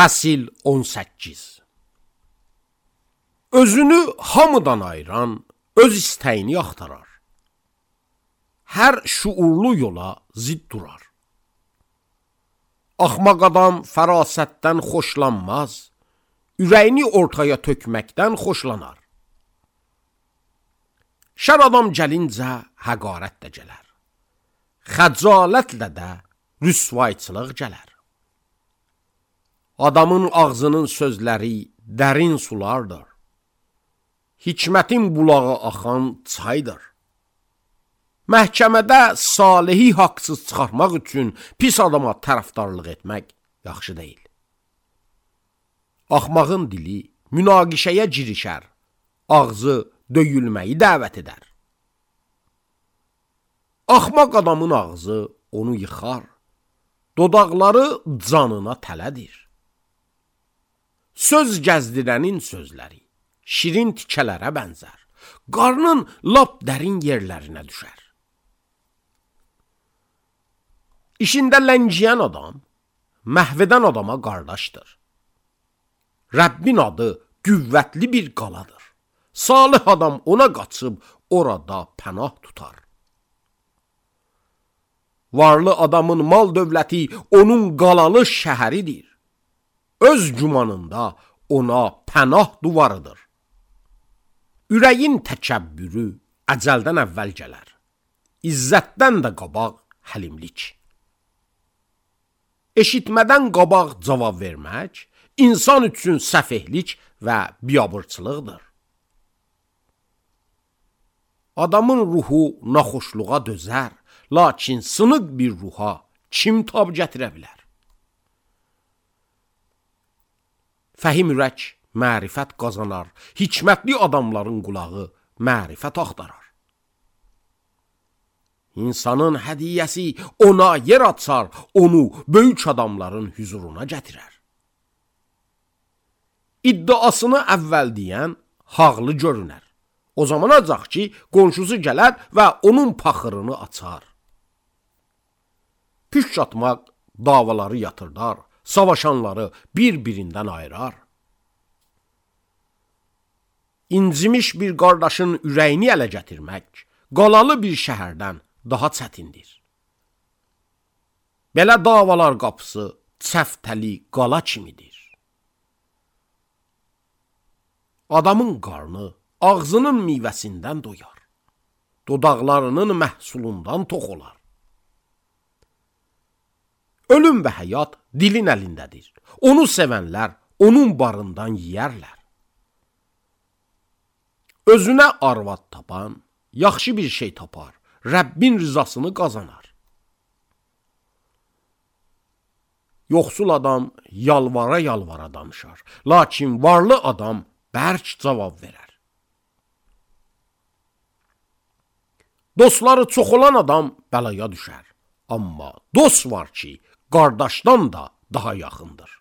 Fəsil 18. Özünü hamıdan ayıran öz istəyini axtarar. Hər şuurlu yola zid durar. Axmaq adam fərasətdən xoşlanmaz, ürəyini ortaya tökməkdən xoşlanar. Şər adam gəlincə həqarət də gələr, xəcalətlə də rüsvayçılıq gələr. Adamın ağzının sözləri dərin sulardır, hikmətin bulağı axan çaydır. Məhkəmədə salihi haqsız çıxarmaq üçün pis adama tərəfdarlıq etmək yaxşı deyil. Axmağın dili münaqişəyə girişər, ağzı döyülməyi dəvət edər. Axmaq adamın ağzı onu yıxar, dodaqları canına tələdir. Söz gəzdirənin sözləri şirin tikələrə bənzər, qarnın lap dərin yerlərinə düşər. İşində ləngiyən adam, məhv edən adama qardaşdır. Rəbbin adı qüvvətli bir qaladır. Salih adam ona qaçıb orada pənah tutar. Varlı adamın mal dövləti onun qalalı şəhəridir. Öz gümanında ona pənah duvarıdır. Ürəyin təkəbbürü əcəldən əvvəl gələr. İzzətdən də qabaq həlimlik. Eşitmədən qabaq cavab vermək insan üçün səfehlik və biabırçılıqdır. Adamın ruhu naxoşluğa dözər, lakin sınıq bir ruha kim tab gətirə bilər? Fəhim ürək mərifət qazanar, hikmətli adamların qulağı mərifət axtarar. İnsanın hədiyyəsi ona yer açar, onu böyük adamların hüzuruna gətirər. İddiasını əvvəl deyən haqlı görünər. O zaman acaq ki, qonşusu gələr və onun paxırını açar. Püşk atmaq davaları yatırdar, savaşanları bir-birindən ayırar. İncimiş bir qardaşın ürəyini ələ gətirmək, qalalı bir şəhərdən daha çətindir. Belə davalar qapısı çəftəli qala kimidir. Adamın qarnı ağzının meyvəsindən doyar, dodaqlarının məhsulundan tox olar. Ölüm və həyat dilin əlindədir. Onu sevənlər onun barından yeyərlər. Özünə arvad tapan yaxşı bir şey tapar, Rəbbin rızasını qazanar. Yoxsul adam yalvara-yalvara danışar, lakin varlı adam bərk cavab verər. Dostları çox olan adam bəlaya düşər, amma dost var ki, qardaşdan da daha yaxındır.